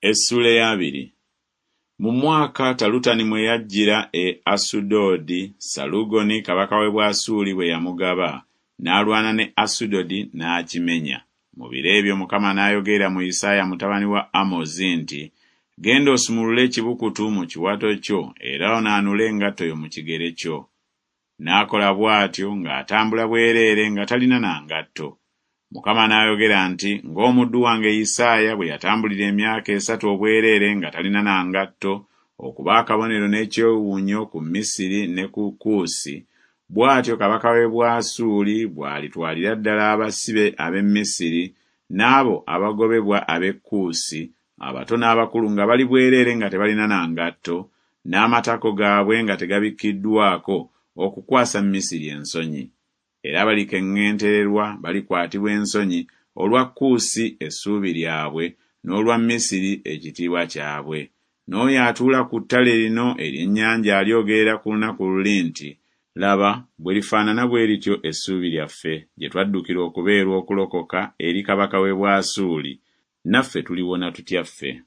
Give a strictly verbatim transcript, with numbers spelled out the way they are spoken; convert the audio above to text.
Essuula ey'abiri. Mu mwaka Talutani mwe yajjira e Asudodi, Salugoni kabaka w'e Bwasuli bwe yamugaba, n'alwana ne Asudodi n'akimenya. Mu biro ebyo Mukama n'ayogerera mu Isaaya mutabani wa Amozi nti, Genda osumulule ekibukutu mu kiwato kyo era onaanule engatto yo mu kigere kyo. N'akola bw'atyo ng'atambula bwereere nga talina na ngatto. Mukama n'ayogera nti, Ng'omuddu wange Isaaya bwe yatambulira emyaka esatu obwereere nga talina na ngatto, okuba akabonero n'ekyewuunyo ku Misiri ne ku Kuusi, bw'atyo kabaka w'e Bwasuuli bw'alitwalira ddala abasibe ab'e Misiri n'abo abagobebwa ab'e Kuusi, abato n'abakulu nga bali bwereere nga tebalina na ngatto, n'amatako gaabwe nga tegabikkiddwako, okukwasa Misiri ensonyi. Era balikeŋŋentererwa balikwatibwa ensonyi olwa Kuusi essuubi lyabwe n'olwa Misiri ekitiibwa kyabwe. N'oyo atuula ku ttale lino ery'ennyanja alyogerera ku lunaku luli nti, Laba, bwe lifaanana bwe lityo essuubi lyaffe, gye twaddukira okubeerwa okulokoka eri kabaka w'e Bwasuuli, naffe tuliwona tutya ffe?